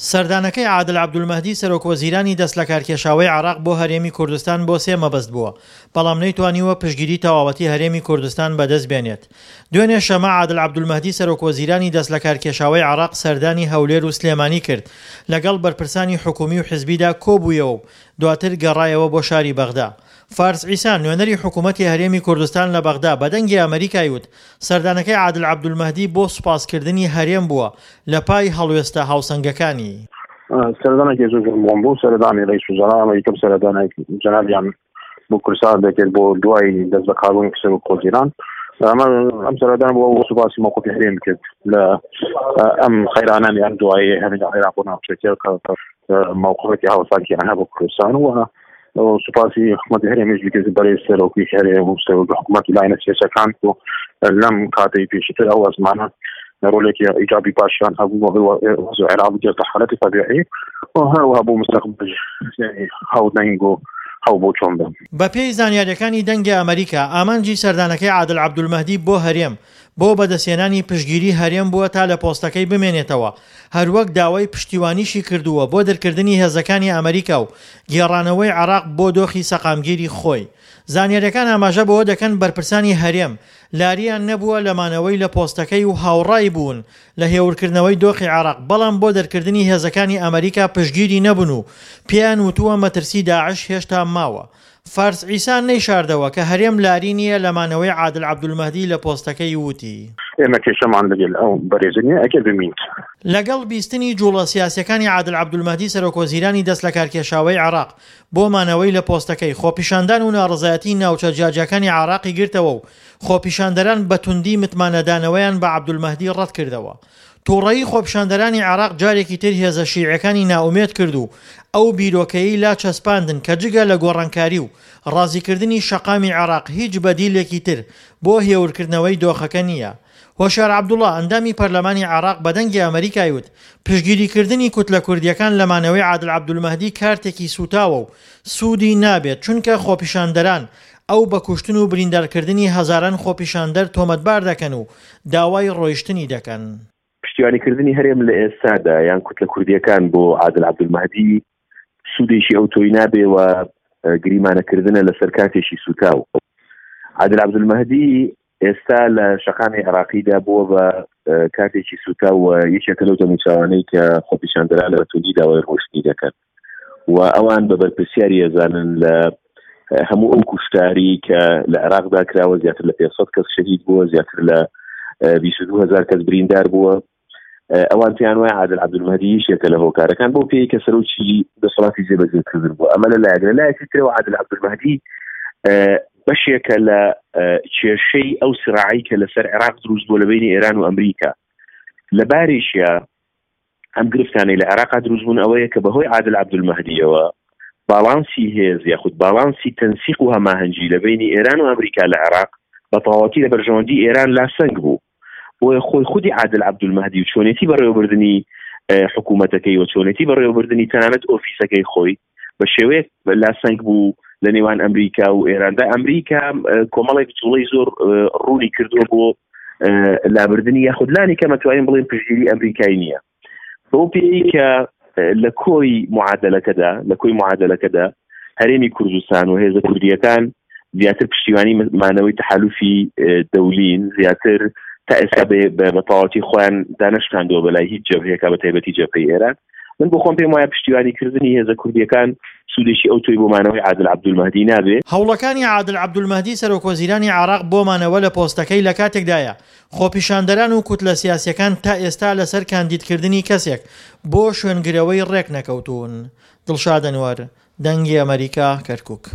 سەردانەکەی عادل عەبدولمەهدی سەرۆکوەزیرانی دەستلەکارکێشاوەی عێراق بۆ هەرێمی کوردستان بۆ سێ مەبەست بووە، بەڵام نەیتوانیوە پشتگیری تەواوەتی هەرێمی کوردستان بەدەست بێنێت. دوێنێ شەمە عادل عەبدولمەهدی سەرۆکوەزیرانی دەستلەکارکێشاوەی عێراق سەردانی هەولێر و سلێمانی کرد، لەگەڵ بەرپرسانی حکومی و حزبیدا کۆبوویەوە و دواتر گەڕایەوە بۆ شاری بەغدا. فارس عیسا، نوێنەری حکوومەتی هەرێمی کوردستان لە بەغدا بە دەنگی ئەمەریکای وت، سەردانەکەی عادل عەبدولمەهدی بۆ سوپاسکردنی هەرێم بووە لە پای هەڵوێستە هاوسەنگەکانی. سەردانێکی زۆر زۆر مهم بوو، سەردانی ڕئیس وزەرا، ئەمە یەکەم سەردانە جەنابیان بۆ کوردستان دەکرد بۆ دوای دەست بەکاربوونی سەرۆک وەزیران. ئەمە ئەم سەردانە بۆ ئەو سوپاسی مەوقفی هەرێم کرد لە ئەم قەیرانانی ئەم دواییە هەرێمی عێراق و ناوچەکە کە مەوقفێکی هاوسەنگیان هەبوو کوردستان و سوپاسی حکوومەتی هەرێمیش بکرد بەرەی سەرۆکی هەرێم و سەرۆک حکوومەت و لایەنە سیاسەکان و لەم کاتەی پێشتر ئەو ئەزمانە ڕۆلێکی ئیجابی باشیان هەبوو بۆ عێراق بگێتە حالەتی تەبیعی و هەروەها بۆ مستەقبل هاودەنگ و هەو بۆ چۆن بن. بەپێی زانیارییەکانی دەنگی ئەمەریکا، ئامانجی سەردانەکەی عادل عەبدولمەهدی بۆ هەرێم، بۆ بەدەستهێنانی پشتگیری هەرێم بووە تا لە پۆستەکەی بمێنێتەوە، هەروەک داوای پشتیوانیشی کردووە بۆ دەرکردنی هێزەکانی ئەمریکا و گێڕانەوەی عێراق بۆ دۆخی سەقامگیری خۆی. زانیارییەکان ئاماژە بەوە دەکەن بەرپرسانی هەرێم لارییان نەبووە لە مانەوەی لە پۆستەکەی و هاوڕای بوون لە هێورکردنەوەی دۆخی عێراق، بەڵام بۆ دەرکردنی هێزەکانی ئەمریکا پشتگیری نەبوون و پێیان وتووە مەترسی داعش هێشتا ماوە. فارس عیسا نەیشاردەوە کە هەرێم لاری نییە لە مانەوەی عادل عەبدولمەهدی لە پۆستەکەی وتی. ئێمە کێشەمان لەگەل ئەو بەرێزە نییە ئەگەر بمینت. لەگەڵ بیستنی جوڵە سیاسیەکانی عادل عەبدولمەهدی سەرۆکوەزیرانی دەستلەکارکێشاوەی عێراق بۆ مانەوەی لە پۆستەکەی، خۆپیشاندان و ناڕەزایەتی ناوچە جیاجیاکانی عێراقی گرتەوە و خۆپیشاندەران بە توندی متمانەدانەوەیان بە عەبدولمەهدی ڕەتکردەوە. توڕەیی خۆپیشاندەرانی عێراق جارێکی تر هێزە شیعیەکانی نائومێد کرد و ئەو بیرۆکەیەی لا چەسپاندن کە جگە لە گۆڕانکاری و ڕازیکردنی شەقامی عێراق هیچ بەدیلێکی تر بۆ هێورکردنەوەی دۆخەکە نییە. هۆشیار عەبدوڵا، ئەندامی پەرلەمانی عێراق بە دەنگی ئەمەریکای وت، پشتگیریکردنی کوتلە کوردییەکان لە مانەوەی عادل عەبدولمەهدی کارتێکی سووتاوە و سوودی نابێت چونکە خۆپیشاندەران ئەو بە کوشتن و بریندارکردنی هەزاران خۆپیشاندەر تۆمەتبار دەکەن و داوای ڕۆیشتنی دەکەن. پشتیوانیکردنی هەرێم لە ئێستادا یان کوتلە کوردییەکان بۆ عادل عەبدولمەهدی سوودێکی ئەوتۆی نابێ و گریمانەکردنە لەسەر کاتێکی سووتاو. عادل عەبدولمەهدی ئێستا لە شەقامی عێراقیدا بووە بە کاتێکی سووتاو و یەکێکە لەو دەموچاوانەی کە خۆپیشاندەران بە توندی داوای ڕۆیشتنی دەکەن و ئەوان بە بەرپرسیاری ئەزانن لە هەموو ئەو کوشتاری کە لە عێراقدا کراوە زیاتر لە 500 کەس شەهید بووە زیاتر لە 22 هزار کەس بریندار بووە ئەوان پێیان وایە عادل عەبدولمەهدی یەکێکە لە هۆکارەکان بۆ پێی کە سەرۆکی دەسەڵاتی جێبەجێکردن بووە ئەمە لە لایەک لە لایەکی ترەوە عادل عەبدولمەهدی بەشێکە لە کێشەی ئەو سراعی کە لەسەر عێراق دروست بووە لە بینی ئێران و ئەمریکا لە بارێکیا ئەم گرفتانەی لە عێراقا دروست بوون ئەوەیە کە بەهۆی عادل عەبدولمەهدیەوە باڵانسی هێز یاخود باڵانسی تەنسیق و هەماهەنگی لە بینی ئێران و ئەمریکا لە عێراق بە تەواوەتی لە بەرژەوەندی ئێران لاسەنگ بوو بۆیە خۆی خودی عادل عەبدولمەهدی و چۆنێتی بەڕێوەبردنی حکوومەتەکەی و چۆنێتی بەڕێوەبردنی تەنانەت ئۆفیسەکەی خۆی بە شێوەیەک لاسەنگ بوو لە نێوان ئەمریکا و ئێراندا ئەمریکا کۆمەڵێک جوڵەی زۆر ڕوونی کردووە بۆ لابردنی یاخود لانی کەمە توانین بڵێن پشتگیری ئەمریکای نییە بەو پێی کە لە کۆی معادلەکەدا لە کۆی معادلەکەدا هەرێمی کوردستان و هێزە کوردیەکان زیاتر پشتیوانی مانەوەی تەحالوفی دەولین زیاتر تا ئێستا بە تەواوەتی خۆیان دانەشکاندووە بەلای هیچ جەبهەیەکە بە تایبەتی جەبهەی ئێران من بۆ خۆم پێم وایە پشتیوانی کردنی هێزە کوردیەکان سوودێکی ئەو تۆی بۆ مانەوەی عادل عەبدولمەهدی نابێ. هەوڵەکانی عادل عەبدولمەهدی سەرۆکوەزیرانی عێراق بۆ مانەوە لە پۆستەکەی لە کاتێکدایە، خۆپیشاندەران و کوتلە سیاسیەکان تا ئێستا لەسەر کاندیدکردنی کەسێک بۆ شوێنگرەوەی ڕێکنەکەوتوون. دڵشاد ئەنوەر، دەنگی ئەمەریکا، کەرکوک.